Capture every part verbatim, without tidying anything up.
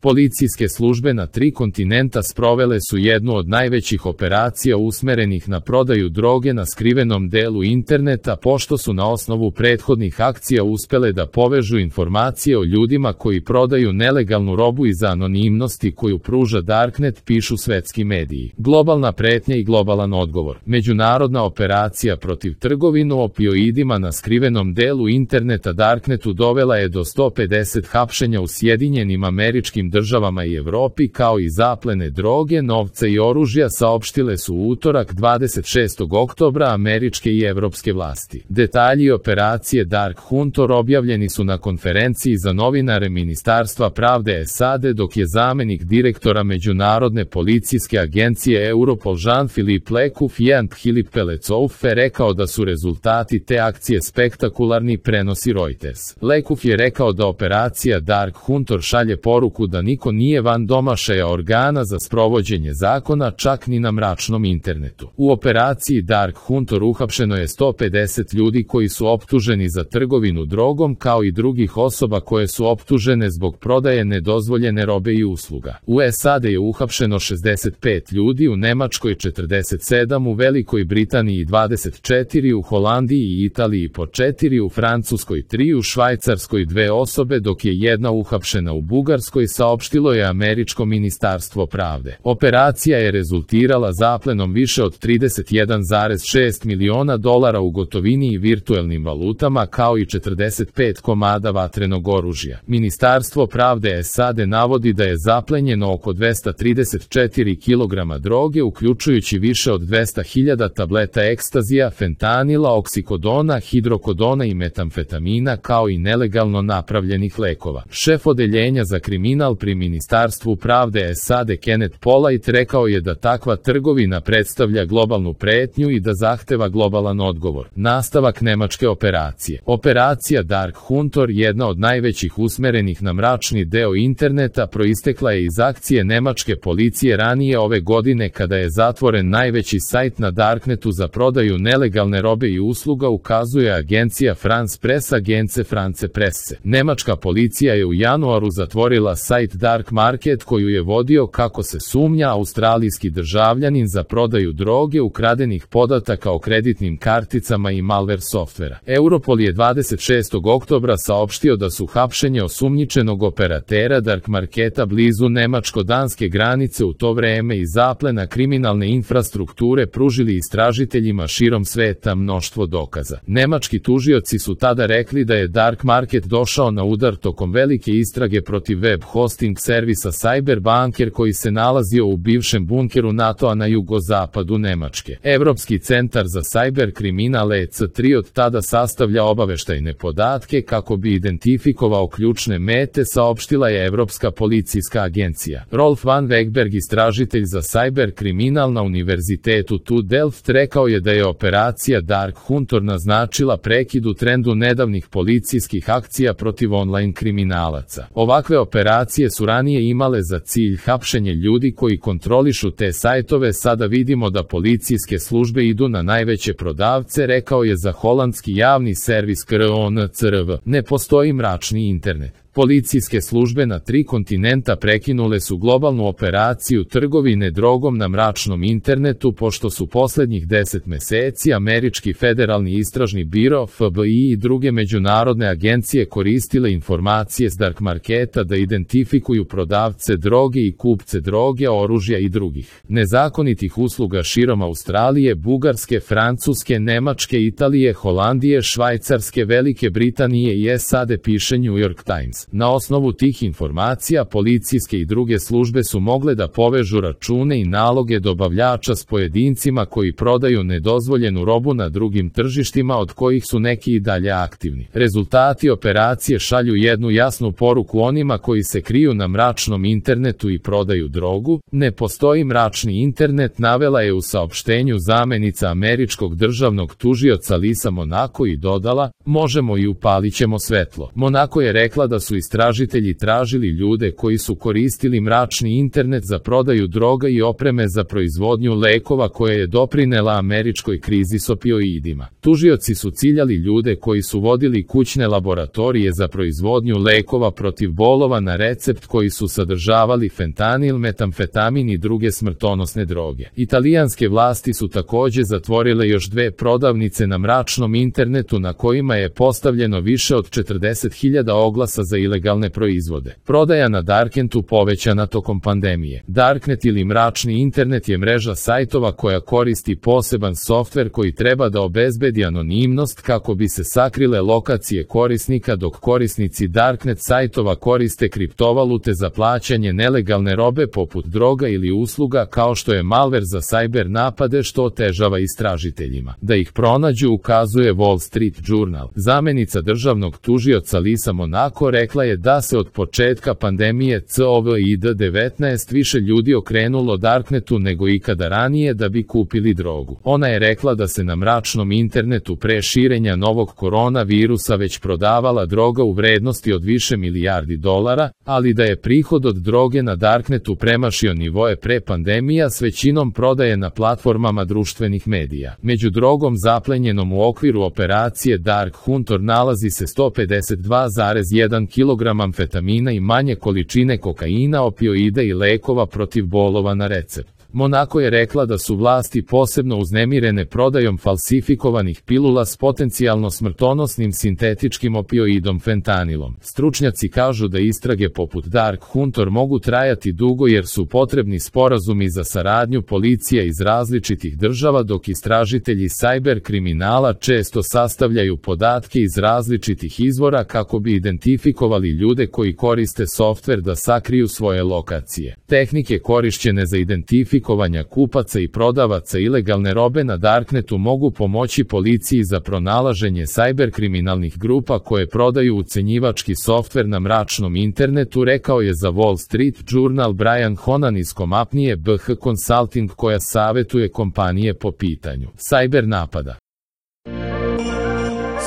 Policijske službe na tri kontinenta sprovele su jednu od najvećih operacija usmerenih na prodaju droge na skrivenom delu interneta, pošto su na osnovu prethodnih akcija uspele da povežu informacije o ljudima koji prodaju nelegalnu robu iz anonimnosti koju pruža Darknet, pišu svetski mediji. Globalna pretnja i globalan odgovor. Međunarodna operacija protiv trgovinu opioidima na skrivenom delu interneta Darknetu dovela je do sto pedeset hapšenja u Sjedinjenim Američkim Državama i Evropi, kao i zaplene droge, novca i oružja, saopštile su u utorak dvadeset šestog oktobra američke i evropske vlasti. Detalji operacije Dark Hunter objavljeni su na konferenciji za novinare Ministarstva pravde S A D, dok je zamenik direktora Međunarodne policijske agencije Europol Jean-Philippe Lecouffé Philippe Pelecoufe rekao da su rezultati te akcije spektakularni, prenosi Reuters. Lecouffé je rekao da operacija Dark Hunter šalje poruku da niko nije van domašaja organa za sprovođenje zakona, čak ni na mračnom internetu. U operaciji Dark Hunter uhapšeno je sto pedeset ljudi koji su optuženi za trgovinu drogom, kao i drugih osoba koje su optužene zbog prodaje nedozvoljene robe i usluga. U S A D je uhapšeno šezdeset pet ljudi, u Nemačkoj četrdeset sedam, u Velikoj Britaniji dvadeset četiri, u Holandiji i Italiji po četiri, u Francuskoj tri, u Švajcarskoj dve osobe, dok je jedna uhapšena u Bugarskoj, saopštilo je američko ministarstvo pravde. Operacija je rezultirala zaplenom više od trideset jedan zarez šest miliona dolara u gotovini i virtuelnim valutama, kao i četrdeset pet komada vatrenog oružja. Ministarstvo pravde S A D navodi da je zaplenjeno oko dvesta trideset četiri kilograma droge, uključujući više od dvesta hiljada tableta ekstazija, fentanila, oksikodona, hidrokodona i metamfetamina, kao i nelegalno napravljenih lekova. Šef odeljenja za kriminal pri Ministarstvu pravde S A D Kenneth Polite rekao je da takva trgovina predstavlja globalnu pretnju i da zahteva globalan odgovor. Nastavak nemačke operacije. Operacija Dark Hunter, jedna od najvećih usmerenih na mračni deo interneta, proistekla je iz akcije nemačke policije ranije ove godine, kada je zatvoren najveći sajt na Darknetu za prodaju nelegalne robe i usluga, ukazuje agencija France Press, agence France Presse. Nemačka policija je u januaru zatvorila sajt Dark Market, koju je vodio, kako se sumnja, australijski državljanin za prodaju droge, ukradenih podataka o kreditnim karticama i malware softvera. Europol je dvadeset šestog oktobra saopštio da su hapšenje osumnjičenog operatera Dark Marketa blizu nemačko-danske granice u to vreme i zaplena kriminalne infrastrukture pružili istražiteljima širom sveta mnoštvo dokaza. Nemački tužioci su tada rekli da je Dark Market došao na udar tokom velike istrage protiv web hosting servisa Cyberbunker, koji se nalazio u bivšem bunkeru NATO-a na jugozapadu Nemačke. Evropski centar za cyber kriminal E C tri od tada sastavlja obaveštajne podatke kako bi identifikovao ključne mete, saopštila je Evropska policijska agencija. Rolf van Wegberg, istražitelj za cyber kriminal na Univerzitetu T U Delft, rekao je da je operacija Dark Hunter naznačila prekid u trendu nedavnih policijskih akcija protiv online kriminalaca. Ovakve operacije su ranije imale za cilj hapšenje ljudi koji kontrolišu te sajtove, sada vidimo da policijske službe idu na najveće prodavce, rekao je za holandski javni servis K R O N C R V. Ne postoji mračni internet. Policijske službe na tri kontinenta prekinule su globalnu operaciju trgovine drogom na mračnom internetu, pošto su poslednjih deset meseci američki federalni istražni biro F B I i druge međunarodne agencije koristile informacije s Dark Marketa da identifikuju prodavce droge i kupce droge, oružja i drugih nezakonitih usluga širom Australije, Bugarske, Francuske, Nemačke, Italije, Holandije, Švajcarske, Velike Britanije i S A D, piše New York Times. Na osnovu tih informacija policijske i druge službe su mogle da povežu račune i naloge dobavljača s pojedincima koji prodaju nedozvoljenu robu na drugim tržištima, od kojih su neki i dalje aktivni. Rezultati operacije šalju jednu jasnu poruku onima koji se kriju na mračnom internetu i prodaju drogu. Ne postoji mračni internet, navela je u saopštenju zamenica američkog državnog tužioca Lisa Monaco i dodala: možemo i upalit ćemo svetlo. Monaco je rekla da su su istražitelji tražili ljude koji su koristili mračni internet za prodaju droga i opreme za proizvodnju lekova koja je doprinela američkoj krizi s opioidima. Tužioci su ciljali ljude koji su vodili kućne laboratorije za proizvodnju lekova protiv bolova na recept koji su sadržavali fentanil, metamfetamin i druge smrtonosne droge. Italijanske vlasti su takođe zatvorile još dve prodavnice na mračnom internetu na kojima je postavljeno više od četrdeset hiljada oglasa za ilegalne proizvode. Prodaja na Darknetu povećana tokom pandemije. Darknet ili mračni internet je mreža sajtova koja koristi poseban softver koji treba da obezbedi anonimnost kako bi se sakrile lokacije korisnika, dok korisnici Darknet sajtova koriste kriptovalute za plaćanje nelegalne robe poput droga ili usluga kao što je malver za sajber napade, što otežava istražiteljima da ih pronađu, ukazuje Wall Street Journal. Zamenica državnog tužioca Lisa Monaco rekla je da se od početka pandemije kovid devetnaest više ljudi okrenulo Darknetu nego ikada ranije da bi kupili drogu. Ona je rekla da se na mračnom internetu pre širenja novog koronavirusa već prodavala droga u vrednosti od više milijardi dolara, ali da je prihod od droge na Darknetu premašio nivoe pre pandemija s većinom prodaje na platformama društvenih medija. Među drogom zaplenjenom u okviru operacije Dark Hunter nalazi se sto pedeset dva zarez jedan kilogram amfetamina i manje količine kokaina, opioida i lekova protiv bolova na recept. Monaco je rekla da su vlasti posebno uznemirene prodajom falsifikovanih pilula s potencijalno smrtonosnim sintetičkim opioidom fentanilom. Stručnjaci kažu da istrage poput Dark Hunter mogu trajati dugo jer su potrebni sporazumi za saradnju policija iz različitih država, dok istražitelji sajber kriminala često sastavljaju podatke iz različitih izvora kako bi identifikovali ljude koji koriste softver da sakriju svoje lokacije. Tehnike korišćene za identifikaciju kupaca i prodavaca ilegalne robe na Darknetu mogu pomoći policiji za pronalaženje sajber kriminalnih grupa koje prodaju ucenjivački softver na mračnom internetu, rekao je za Wall Street Journal Brian Honan iz kompanije B H Consulting koja savetuje kompanije po pitanju sajber napada.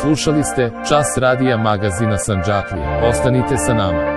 Slušali ste Čas radija magazina Sandžaklija. Ostanite sa nama.